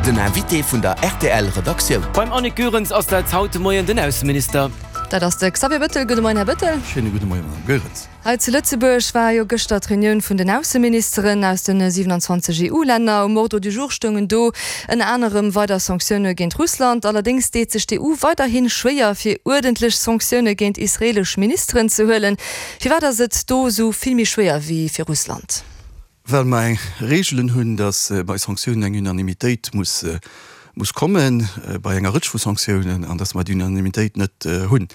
Den Invité vun der rtl Redaktioun. Beim Annick Goerens ass dat haut de Moien den Ausseminister. Dat ass de Xavier Bettel. Gudde Moien, Här Bettel. Schéine gudde Moien, Madame Goerens. Hei zu Lëtzebuerg war jo gëschter d'Reunioun vun den Ausseministeren aus de 27 EU-Länner. Um Ordre du jour stoungen do ënner anerem weider Sanktioune géint Russland. Allerdéngs deet sech d'EU weiderhi schwéier, fir uerdentlech Sanktioune géint israeelesch Ministeren ze huelen. Firwat ass et do esou vill méi schwéier wéi fir Russland? Well mer eng Reegelen hunn, datt bei Sanktiounen eng Unanimitéit muss muss komme bei enger Rëtsch vu Sanktiounen an datt mer déi Unanimitéit net hunn.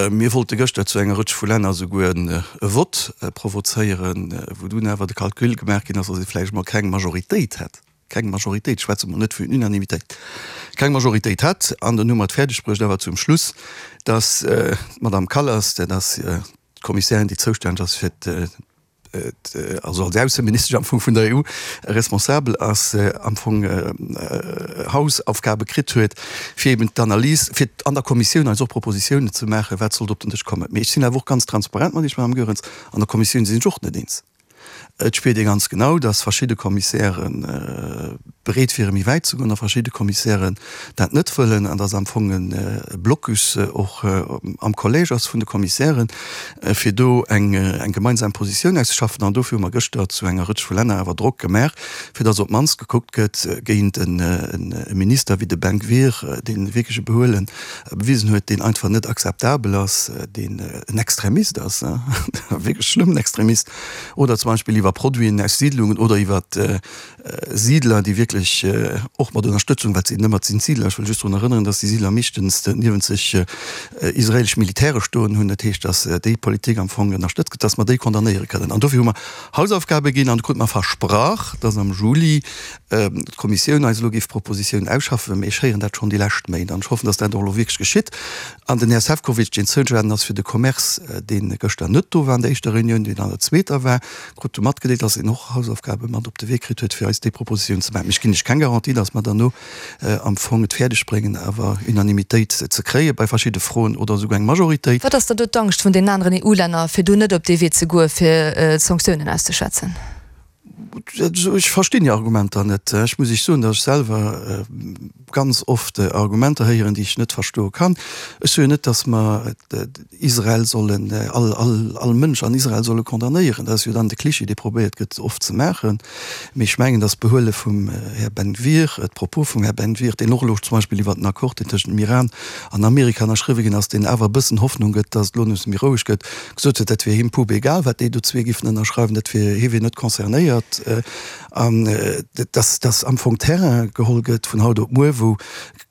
Mir wollte gëschter zu enger Rëtsch vu Länner esouguer e Vott provozéieren, wou dunn awer de Calcul gemaach ginn ass, datt ee vläicht emol keng Majoritéit hätt, keng Majoritéit, ech schwätze mol net vun Unanimitéit, keng Majoritéit hätt. An dann hu mer et fäerdeg bruecht awer zum Schluss, datt d'Madame Kallas, dat ass d'Kommissärin, déi zoustänneg ass fir also als Ausseministesch am Fong vun der EU responsabel ass, am Fong Hausaufgabe kritt huet, fir eben d'Analys, fir an der Kommissioun eis och Propositiounen ze maachen, wat sollt op den Dësch kommen. Mee ech sinn awer och ganz transparent mat Iech, Madame Goerens, an der Kommissioun sinn ech och net eens. Et spiert ee ganz genau, dass verschidde Kommissäre bereet wiere méi wäit ze goen a verschidde Kommissären dat net wëllen an dass am Fong e Blocus och am Collège ass vun de Kommissären, fir do eng gemeinsam Positioun auszeschaffen. An dofir hu mer gëschter zu enger Rëtsch vu Länner awer Drock gemaach, fir dass op d'mannst gekuckt gëtt géint e Minister wéi de Ben Gvir, dee wierklech e Behuele bewisen huet, deen einfach net akzeptabel ass, deen en Extremist ass, e wierklech schlëmmen Extremist, oder zum Beispill iwwer Produiten aus Siidlungen oder iwwer Siidler, déi wierklech och mat Ënnerstëtzung, wat sinn ëmmer, et sinn d'Siidler, ech wëll just drun erënneren, datt déi Siidler meeschtens niewent sech israelesch Militäre stoen hunn, dat heescht, datt déi Politik am Fong ënnerstëtzt gëtt, datt mer déi condamnéiere kënnen. An dofir hu mer Hausaufgabe ginn an do krute mer versprach, datt am Juli d'Kommissioun eis elo géif Propositiounen ausschaffen. Mee ech héieren dat schonn déi lescht Méint an ech hoffen, datt dat och elo wierklech geschitt. An den Här Sefcovic, deen zoustänneg ass fir de Commerce, dee gëschter net do war an der éischter Reunioun, deen an der zweeter war, krut du matgedeelt, dass en och Hausaufgabe mat op de Wee kritt huet, fir eis déi Propositioun ze maachen. Mee ech ginn lech keng Garantie, dass mer derno am Fong et fäerdeg bréngen, awer Unanimitéit ze kréie bei verschidde Froen oder esouguer eng Majoritéit. Wat ass dann do d'Angscht vun deenen aneren EU-Länner, fir do net op dee Wee ze goe fir Sanktiounen auszeschwätzen? Ech verstinn hir Argumenter net. Ech muss Iech soen, datt ech selwer ganz oft Argumenter héieren, déi ech net verstoe kann. Ech soe jo net, datt mer Israel sollen, all, all, all Mënsch an Israel solle condamnéieren. Dat ass jo dann de Cliché, dee probéiert gëtt oft ze maachen. Mee ech mengen, datt d'Behuele vum Här Ben-Gvir, d'Propos vum Här Ben-Gvir, deen och elo zum Beispill iwwert den Accord, deen tëschent dem Iran an Amerika ënnerschriwwe ginn ass, deen awer e bëssen Hoffnung gëtt, datt et elo nees méi roueg gëtt, gesot huet, dat wier him pup egal, wat déi do zwee giffen ënnerschreiwen, dat wier, hie wier net concernéiert, an dass, dass am Fong Terrain geholl gëtt vun haut op muer, wou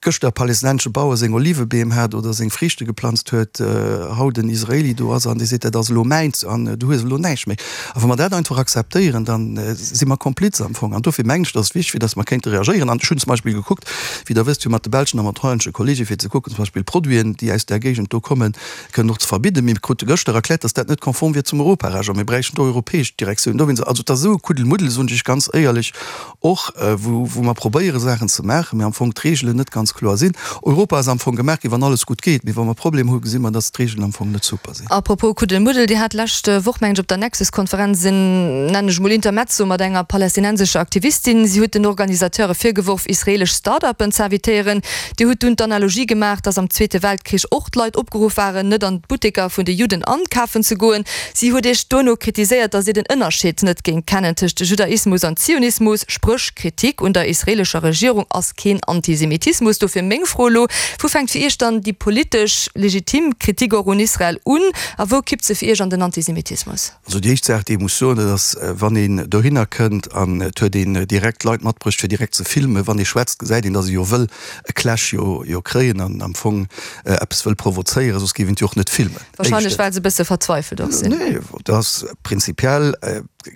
gëschter e palästinensesche Bauer seng Olivebeem hat oder seng Friichte geplanzt huet, haut en Israeli do ass an dee seet, dat ass elo mäins an du hues elo näischt méi. A wa mer dat einfach akzeptéieren, da si mer Kompliz am Fong. An dofir mengen ech, dass et wichteg wier, dass mer kéinte reagéieren. An ech hunn zum Beispill gekuckt, wéi Der wësst, jo mat de belschen a mat hollännesche Kollege fir ze kucken, zum Beispill Produiten, déi aus där Géigend do kommen, kënnen och ze verbidden. Mir krute gëschter erkläert, dass dat net konform wier zum Europarecht a mir bräichten do europäesch Direktioun dowéinst. Also et ass esou e Kuddelmuddel, soen ech Iech ganz éierlech, och wou wou mer probéiere Saachen ze maachen, mä am Fong d'Reegelen net ganz kloer sinn. Europa ass am Fong gemaach ginn, wann alles gutt geet, mee wa mer Problemer hu gesi mer, dass d'Reegelen am Fong net super sinn. A propos Kuddelmuddel, Dir hat d'lescht Woch, mengen ech, op der Nexus-Konferenz en, nennen ech emol, Intermezzo mat enger palästinensescher Aktivistin. Si huet den Organisateure virgeworf, israelesch Start-uppen ze invitéieren. Dir hutt dunn d'Analogie gemaach, dass am Zweete Weltkrich och d'Leit opgeruff waren, net an d'Butteker vun de Judden ankafen ze goen. Si huet Iech duerno kritiséiert, dass Dir den Ënnerscheed net géingt kennen tëscht Judaismus an Zionismus, spréch Kritik un der israelescher Regierung ass keen Antisemitismus. Dofir meng Fro elo, Wou fänkt fir Iech dann déi politesch legitim Kritik och un Israel un a wou kippt se fir Iech an den Antisemitismus? Also déi éischt Saach, déi ee muss soen, dat ass, wann een dohinner kënnt an et huet een direkt Leit matbruecht, fir direkt ze filmen, wann ee schwätzt, gesäit een, datt ee jo wëll e Clash jo jo kréien an am Fong eppes wëll provozéieren, soss géif een et jo och net filmen. Wahrscheinlech well se e bësse verzweifelt och sinn. Nee, dat ass prinzipiell,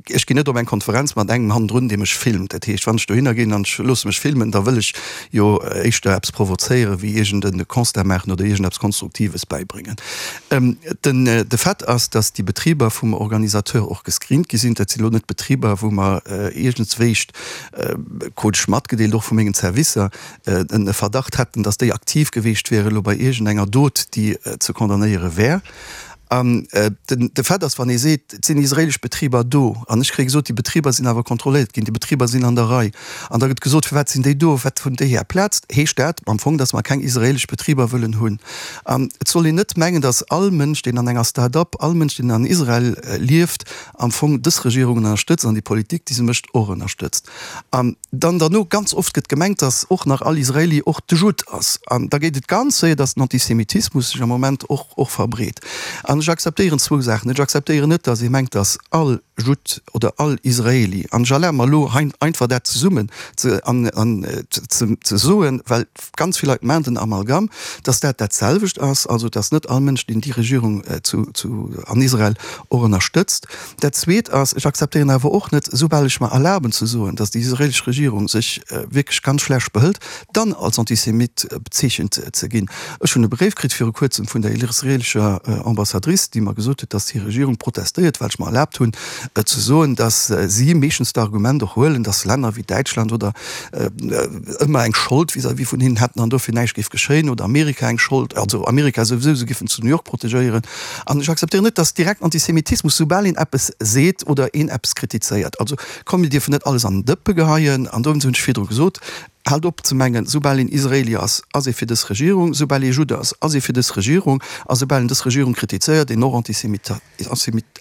ech ginn net op eng Konferenz mat engem hannendrun, dee mech filmt. Dat heescht, wann ech dohinner ginn an ech loosse mech filmen, da wëll ech jo éischter eppes provozéieren, wéi iergend e Constat maachen oder iergendeppes Konstruktives bäibréngen. Den, de Fait ass, dass déi Betriber vum Organisateur och gescreent gi sinn. Dat sinn elo net Betriber, wou mer iergendswéischt, krut ech matgedeelt, och vu mengen Servicer, e Verdacht hätten, dass déi aktiv geweecht wiere elo bei iergendenger Dot, déi ze condamnéiere wär. An den, de Fait ass, wann ee seet, et sinn israeelesch Betriber do, an ech kréie gesot, déi Betriber sinn awer kontrolléiert ginn, déi Betriber sinn an der Rei, an da gëtt gesot, firwat sinn déi do, wat hunn déi hir Plaz, heescht dat am Fong, datt mer keng israeelesch Betriber wëllen hunn. An et soll een net mengen, datt all Mënsch, deen an enger Start-up, all Mënsch, deen an Israel lieft, am Fong dës Regierung ënnerstëtzt an déi Politik, déi se mécht, och ënnerstëtzt. An dann derno, ganz oft gëtt gemengt, datt och nach all Israeli och de Judd ass. An da geet et ganz séier, datt den Antisemitismus sech am Moment och och verbreet. An ech akzeptéieren zwou Saachen net. Ech akzeptéieren net, datt ee mengt, datt all Judd oder all Israeli, an ech erlabe mer elo hei einfach dat zesummen ze an an ze ze soen, well ganz vill Leit maachen den Amalgam, datt dat dat selwecht ass, also datt net all Mënsch, deen déi Regierung zu zu an Israel och ënnerstëtzt. Dat Zweet ass, ech akzeptéieren awer och net, soubal ech mer erlaben ze soen, datt déi israelesch Regierung sech wierklech ganz schlecht behëlt, dann als Antisemit bezeechent ze ginn. Ech hunn e Bréif kritt viru kuerzem vun der israelescher Ambassadrice, déi mer gesot huet, datt hir Regierung protestéiert, well ech mer erlaabt hunn ze soen, datt si meeschtens d'Argument och huelen, datt Länner wéi Däitschland oder ëmmer eng Schold vis-à-vis vun hinnen hätten an dofir näischt géif geschéien, oder Amerika eng Schold, also Amerika souwisou, se géifen zu New York protegéieren. An ech akzeptéieren net, dass direkt Antisemitismus, soubal een eppes seet oder een eppes kritizéiert. Also komm, mir dierfen net alles an den Dëppe geheien. An dowéinst hunn ech virdru gesot, Haalt op ze mengen, soubal een Israeli ass, ass ee fir dës Regierung, soubal ee Judd ass, ass ee fir dës Regierung, a soubal een dës Regierung kritizéiert, een och Antisemit.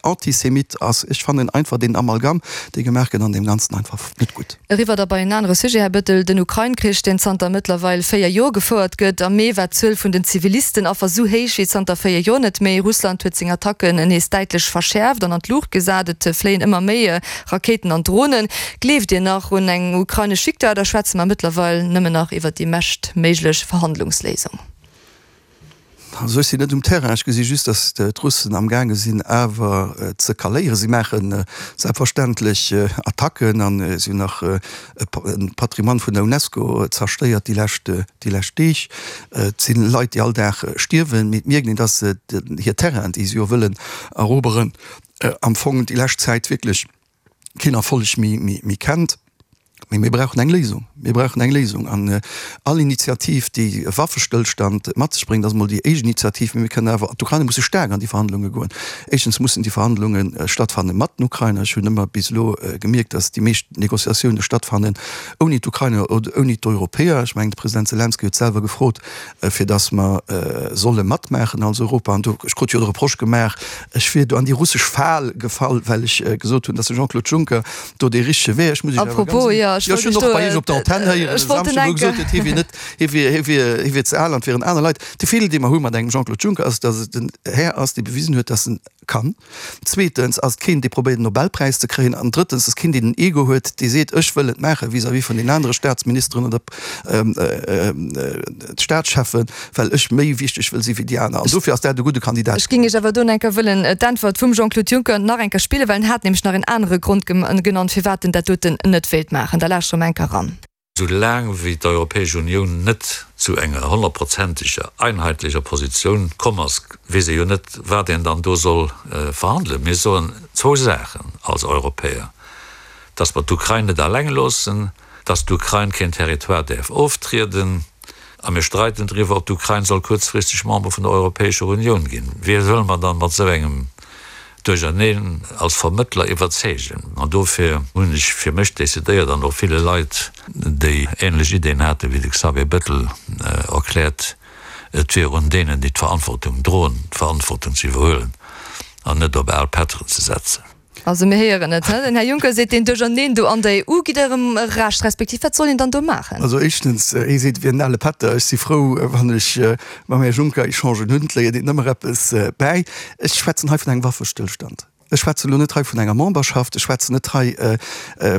Antisemit ass. Ech fannen einfach deen Amalgam, dee gemaach gëtt an deem Ganzen einfach net gutt. Eriwwer da bei en anere Sujet, Här Bettel, den Ukrain-Krich, deen zanter mëttlerweil 4 Joer gefouert gëtt. Am Mee war d'Zuel vun den Zivilistenaffer sou héich wéi zanter 4 Joer net méi. Russland huet seng Attacken nees däitlech verschäerft an an d'Luucht gesat. Et fléien ëmmer méi Rakéiten an Dronen. Gleeft Dir nach un eng ukrainesch Victoire oder schwätze mer mëttlerweil nëmmen nach iwwer déi meschtméiglech Verhandlungsléisung? Also ech sinn net um Terrain, ech gesi just, datt d'Russen amgaange sinn awer ze kaléieren. Si maache selbstverständlech Attacken an si hunn nach e Patrimoine vun der Unesco zerstéiert déi lescht déi lescht Deeg. Et si Leit, déi all Dag stierwen, mee et mierkt een, datt se hir Terrainen, déi se jo wëllen eroberen, am Fong déi lescht Zäit wierklech keen Erfolleg méi kennt. Mee mir brauchen eng Léisung. Mir brauchen eng Léisung. An all Initiativ, déi e Waffestëllstand mat sech bréngt, ass emol déi éischt Initiativ. Mee mir kënnen awer, d'Ukrainer musse staark an déi Verhandlunge goen. Éischtens mussen déi Verhandlunge stattfanne mat den Ukrainer. Ech hunn ëmmer bis elo gemierkt, datt déi meescht Négociatioune stattfannen ouni d'Ukrainer oder ouni d'Europäer. Ech mengen, de President Selenskyj huet selwer gefrot, fir datt mer solle matmaachen als Europa. An do, ech krut jo de Reproche gemaach, ech wier do an déi russesch Fal gefall, well ech gesot hunn, datt de Jean-Claude Juncker do dee richtege Wee. Ech muss Iech awer ganz, jo, ech hunn och bei Iech op der Antenn héieren e Samschdeg, wou e gesot huet, hie wier net, hie wier, hie wier, hie wier ze al an et wieren aner Leit. De Feeler, dee mer hu mat engem Jean-Claude Juncker, ass, datt et en Här ass, dee bewisen huet, datt en kann. Zweetens ass et keen, dee probéiert en Nobelpräis ze kréien. An drëttens ass keen, deen en Ego huet, dee seet, ech wëll et maachen vis-à-vis vun den anere Staatsministeren oder Staatscheffen, well ech méi wichteg wëll si wéi déi aner. An dofir ass dat e gudde Kandidat. Ech géing Iech awer do enker wëllen d'Äntwert vum Jean-Claude Juncker nach enker spillen, well en hat nämlech nach en anere Grond genannt, firwat en dat doten net wéilt maachen. Da lauschtere mer enker eran. Sou laang wéi d'Europäesch Unioun net zu enger honnertprozenteger, einheitlecher Positioun komm ass, weess ee jo net, wat een dann do soll verhandelen. Mir soen zwou Saachen als Europäer, dass mer d'Ukrain net alleng loossen, dass d'Ukrain keen Territoire däerf oftrieden, a mir streiden driwwer, ob d'Ukrain soll kuerzfristeg Member vun der Europäescher Unioun ginn. Wie wëlle mer dann mat esou engem Duercherneen als Vermëttler iwwerzeegen? An dofir hunn ech fir mech decidéiert an och ville Leit, déi ähnlech Ideen haten wéi de Xavier Bettel, erkläert, et wier un deenen, déi d'Verantwortung droen, d'Verantwortung ze iwwerhuelen an net op al Pätteren ze setzen. Also mir héieren et, den Här Juncker seet, deen Duercherneen do an der EU, gitt Ärem Recht, respektiv wat soll een dann do maachen? Also éischtens, hie seet, et wier en ale Pätter. Ech si frou, wann ech mam Här Juncker Echangen hunn, et léiert een ëmmer eppes bäi. Ech schwätzen hei vun engem Waffestëllstand. Ech schwätzen elo net hei vun enger Memberschaft, ech schwätzen net hei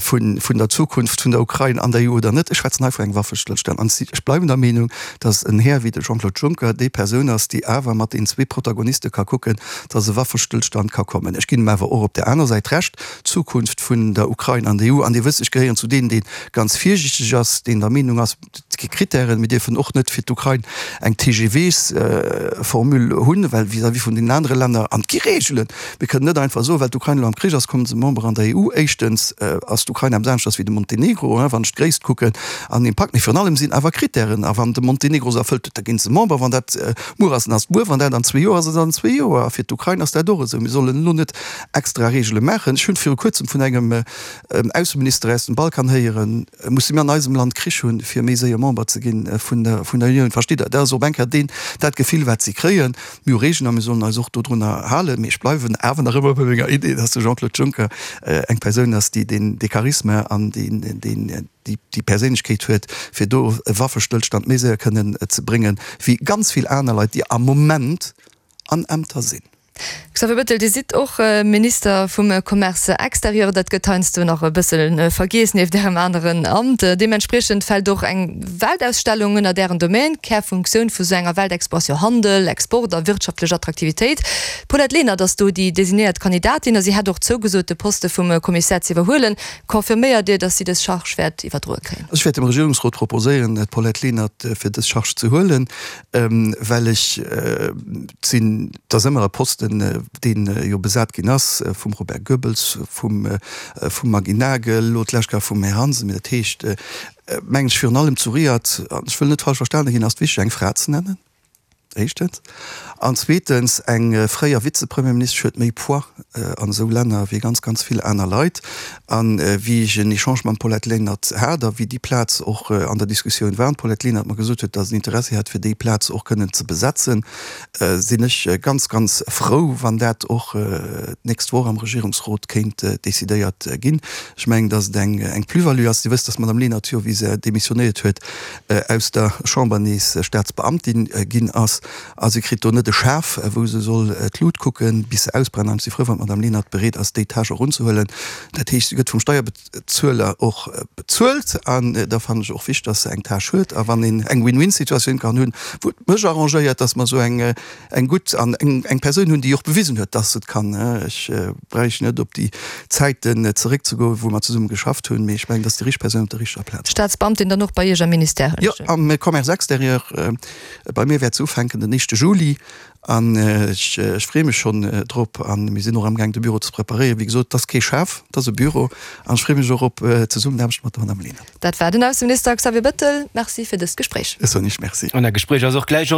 vun der Zukunft vun der Ukrain an der EU oder net, ech schwätzen hei vun engem Waffestëllstand. An ech bleiwen der Meenung, datt en Här wéi de Jean-Claude Juncker déi Persoun ass, déi awer mat den zwee Protagoniste ka kucken, datt e Waffestëllstand ka kommen. Ech ginn em awer och op där aner Säit Recht, d'Zukunft vun der Ukrain an der EU, an Dir wësst, ech gehéieren zu deenen, dee ganz virsiichteg ass, deen der Meenung ass, et. Et gi Krittären. Mir dierfen och net fir d'Ukrain eng TGVs-Formule hunn, well vis-à-vis vun deenen anere Länner, an et gi Reegelen, mir kënnen net einfach soen, well d'Ukrain elo am Krich ass, kommen se Member an der EU. Éischtens ass d'Ukrain eppes aneschters wéi de Montenegro, wann ech d'Gréisst kucken an Impakt. Mee virun allem sinn awer Krittären, a wann de Montenegro se erfëllt huet, da ginn se Member. Wann dat muer ass, dann ass et muer. Wann dat an zwee Joer ass, ass et an zwee Joer. A fir d'Ukrain ass dat och esou. Mir sollen elo net extra Reegele maachen. Ech hunn viru kuerzem vun engem Ausseminister aus dem Balkan héieren, Musse mir an eisem Land Krich hunn, fir méi séier Member ze ginn vun der Unioun? Verstitt Der? Dat ass op eng Kéier deen, dat Gefill, wat si kréien. Mir hu Regeln a mir sollen eis och dodrunner halen. Mee ech bleiwen awer nach ëmmer bei menger Idee, dass de Jean-Claude Juncker eng Persoun ass, déi deen, dee Charisma an deen, deen, déi Perséinlechkeet huet, fir do e Waffestëllstand méi séier kënnen ze bréngen, wéi ganz vill aner Leit, déi am Moment an Ämter sinn. Xavier Bettel, Dir sidd och Minister vum Commerce extérieur. Dat gëtt heiansdo nach e bësse vergiess nieft Ärem aneren Amt. Deementspriechend fält och eng Weltausstellung ënnert Ären Domaine. Kärfunktioun vu sou enger Weltexpo ass jo Handel, Export a wirtschaftlech Attraktivitéit. D'Paulette Lenert ass do déi designéiert Kandidatin a si hätt och zougesot, de Poste vum Kommissär ze iwwerhuelen. Confirméiert Dir, datt si dës Charge wäert iwwerdroe kréien? Ech wäert dem Regierungsrot proposéieren, d'Paulette Lenert fir dës Charge ze huelen, well ech sinn, et ass ëmmer e Posten, dee jo besat ginn ass vum Robert Goebbels, vum vum Maggy Nagel, elo d'lescht Kéier vum Här Hansen. Mee dat heescht, mengen ech, virun allem zu Riyadh, an ech wëll net falsch verstane ginn, ass et wichteg, eng Fra ze nennen. Éischtens. An zweetens, eng fréier Vizepremierministesch huet méi Poids an esou Länner wéi ganz, ganz vill aner Leit. A wéi ech en Echange mam Paulette Lenert hat a wéi déi Plaz och an der Diskussioun war an d'Paulette Lenert mer gesot huet, datt en Interessi hätt, fir déi Plaz och kënnen ze besetzen, sinn ech ganz, ganz frou, wann dat och d'nächst Woch am Regierungsrot kéint decidéiert ginn. Ech mengen, datt et eng Plus-value ass. Dir wësst, datt d'Madame Lenert jo, wéi se demissionéiert huet, aus der Chamber nees Staatsbeamtin ginn ass, a si kritt do net e Schaf, wou se soll d'Lut kucken, bis se ausbrennt. An ech si frou, wann d'Madame Lenert bereet ass, déi Tâche och unzehuelen. Dat heescht, si gëtt vum Steierbezueler och bezuelt, an da fannen ech och wichteg, dass se eng Tâche huet. A wann een eng Win-win-Situatioun kann hunn, wou et mech arrangéiert, dass mer esou eng eng gutt an eng Persoun hunn, déi och bewisen huet, dass se et kann. Ech bräicht net op déi Zäiten zeréckzegoen, wou mer zesumme geschafft hunn, mee ech mengen, dass déi richteg Persoun op der richteger Plaz ass. Staatsbeamtin dann och bei Iech am Ministère, hunn ech. Jo, am Commerce extérieur. Bei mir wäert se ufänken den éischte Juli an ech freeë mech schonn drop. A mir sinn och amgaang, de Büro ze preparéieren. Wéi gesot, et ass kee Schaf, et ass e Büro an ech freeë mech och op d'Zesummenaarbecht mat der Madame Lenert. Dat war den Ausseminister Xavier Bettel. Merci fir dëst Gespréich. Ech soen Iech Merci. An dat Gespréich ass och gläich.